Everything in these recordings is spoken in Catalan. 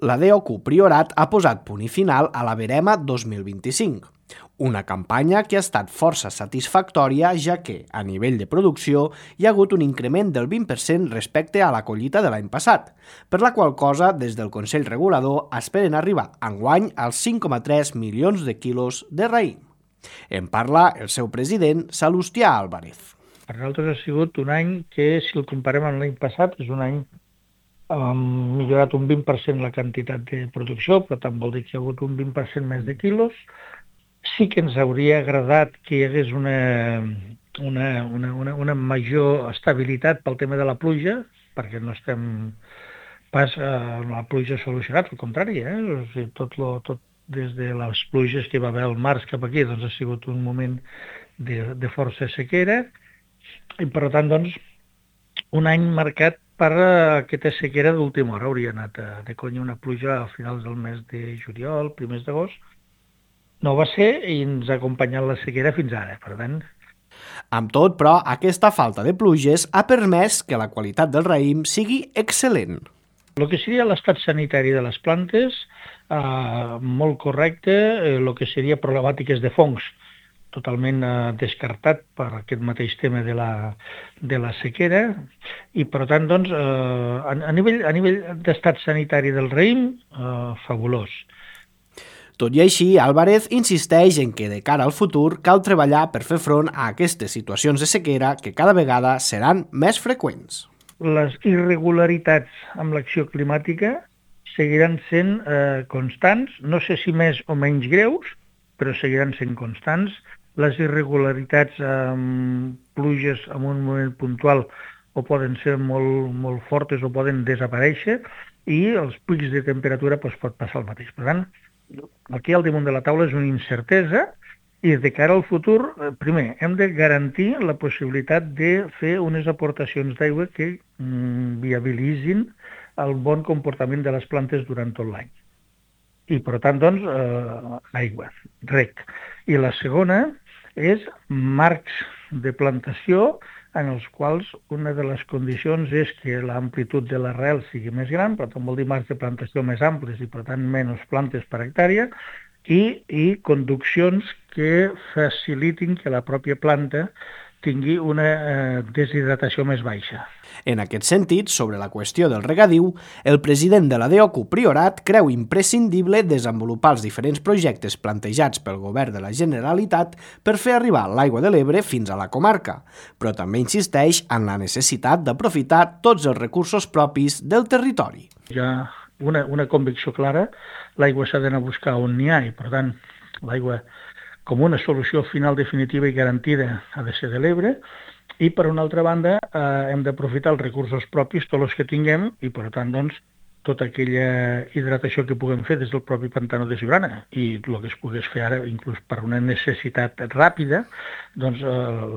La DOQ Priorat ha posat punt i final a la Verema 2025, una campanya que ha estat força satisfactòria ja que, a nivell de producció, hi ha hagut un increment del 20% respecte a la collita de l'any passat, per la qual cosa, des del Consell Regulador, esperen arribar enguany als 5,3 milions de quilos de raïm. En parla el seu president, Salustià Álvarez. Per nosaltres ha sigut un any que, si el comparem amb l'any passat, és un any hem millorat un 20% la quantitat de producció, però tant vol dir que hi ha hagut un 20% més de quilos. Sí que ens hauria agradat que hi hagués una major estabilitat pel tema de la pluja, perquè no estem pas la pluja solucionat, al contrari, o sigui, tot des de les pluges que hi va haver al març cap aquí, doncs ha sigut un moment de força sequera, i per tant, doncs, un any marcat per aquesta sequera d'última hora. Hauria anat de conya una pluja a finals del mes de juliol, primers d'agost. No va ser i ens ha acompanyat la sequera fins ara, per tant. Amb tot, però, aquesta falta de pluges ha permès que la qualitat del raïm sigui excel·lent. El que seria l'estat sanitari de les plantes, molt correcte, el que seria problemàtiques de fongs, totalment descartat per aquest mateix tema de la sequera, i per tant, doncs, a nivell d'estat sanitari del raïm, fabulós. Tot i així, Álvarez insisteix en que de cara al futur cal treballar per fer front a aquestes situacions de sequera que cada vegada seran més freqüents. Les irregularitats amb l'acció climàtica seguiran sent constants, no sé si més o menys greus, però seguiran sent constants. Les irregularitats amb pluges en un moment puntual o poden ser molt fortes o poden desaparèixer, i els pics de temperatura pot passar el mateix. Per tant, aquí al damunt de la taula és una incertesa, i de cara al futur, primer, hem de garantir la possibilitat de fer unes aportacions d'aigua que viabilitzin el bon comportament de les plantes durant tot l'any. I, per tant, doncs, aigua, reg. I la segona és marcs de plantació en els quals una de les condicions és que l'amplitud de l'arrel sigui més gran, per tant vol dir marcs de plantació més amplis i, per tant, menys plantes per hectàrea, i conduccions que facilitin que la pròpia planta tingui una deshidratació més baixa. En aquest sentit, sobre la qüestió del regadiu, el president de la DOQ Priorat creu imprescindible desenvolupar els diferents projectes plantejats pel govern de la Generalitat per fer arribar l'aigua de l'Ebre fins a la comarca, però també insisteix en la necessitat d'aprofitar tots els recursos propis del territori. Hi ha una convicció clara, l'aigua s'ha d'anar a buscar on n'hi ha, i per tant l'aigua com una solució final definitiva i garantida ha de ser de l'Ebre, i per una altra banda hem d'aprofitar els recursos propis, tots els que tinguem, i per tant doncs tota aquella hidratació que puguem fer des del propi pantano de Siurana, i el que es pogués fer ara inclús per una necessitat ràpida, doncs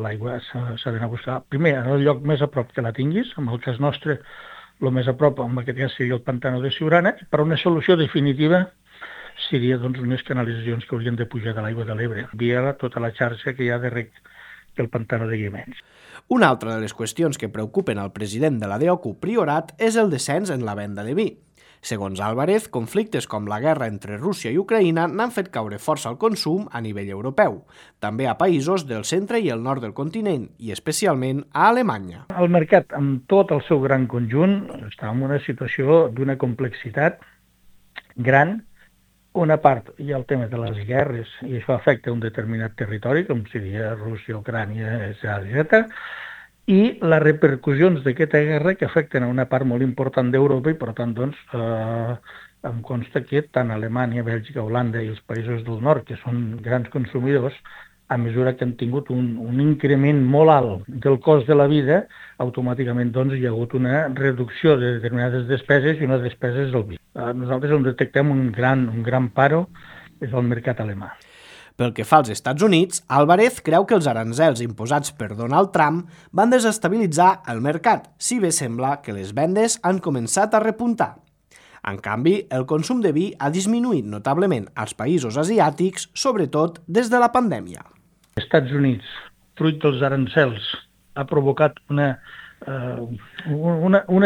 l'aigua s'ha d'anar a buscar primer en el lloc més a prop que la tinguis. En el cas nostre, el més a prop, en aquest cas, seria el pantano de Siurana, i per una solució definitiva seria doncs, unes canalitzacions que haurien de pujar de l'aigua de l'Ebre, via tota la xarxa que hi ha de reg del pantano de Guiamets. Una altra de les qüestions que preocupen al president de la DOQ Priorat és el descens en la venda de vi. Segons Álvarez, conflictes com la guerra entre Rússia i Ucraïna n'han fet caure força al consum a nivell europeu, també a països del centre i el nord del continent, i especialment a Alemanya. El mercat, amb tot el seu gran conjunt, està en una situació d'una complexitat gran. Una part hi ha el tema de les guerres, i això afecta un determinat territori, com seria Rússia, Ucrània, etc. I les repercussions d'aquesta guerra que afecten a una part molt important d'Europa, i per tant, doncs, em consta que tant Alemanya, Bèlgica, Holanda i els països del nord, que són grans consumidors, a mesura que han tingut un increment molt alt del cost de la vida, automàticament doncs, hi ha hagut una reducció de determinades despeses, i una despesa és el vi. Nosaltres on detectem un gran paro és el mercat alemà. Pel que fa als Estats Units, Álvarez creu que els aranzels imposats per Donald Trump van desestabilitzar el mercat, si bé sembla que les vendes han començat a repuntar. En canvi, el consum de vi ha disminuït notablement als països asiàtics, sobretot des de la pandèmia. Els Estats Units, fruit dels arancels, ha provocat una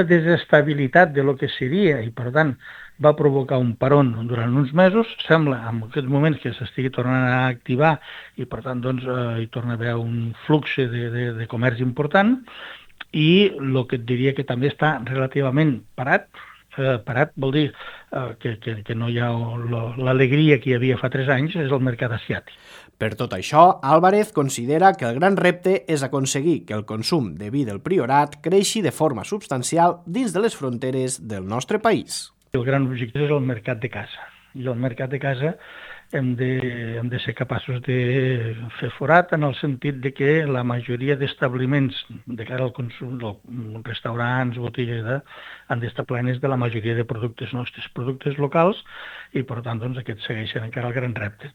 desestabilitat de lo que seria, i per tant va provocar un peron durant uns mesos. Sembla en aquests moments que s'estigui tornant a activar i, per tant, doncs, hi torna a haver un flux de comerç important, i el que et diria que també està relativament parat. Parat vol dir que no hi ha l'alegria que hi havia fa 3 anys, és el mercat asiàtic. Per tot això, Álvarez considera que el gran repte és aconseguir que el consum de vi del Priorat creixi de forma substancial dins de les fronteres del nostre país. El gran objectiu és el mercat de casa. I el mercat de casa hem de ser capaços de fer forat en el sentit de que la majoria d'establiments de cara al consum, restaurants, botigues, han d'estar plenes de la majoria de productes nostres, productes locals, i per tant doncs, aquests segueixen encara el gran repte.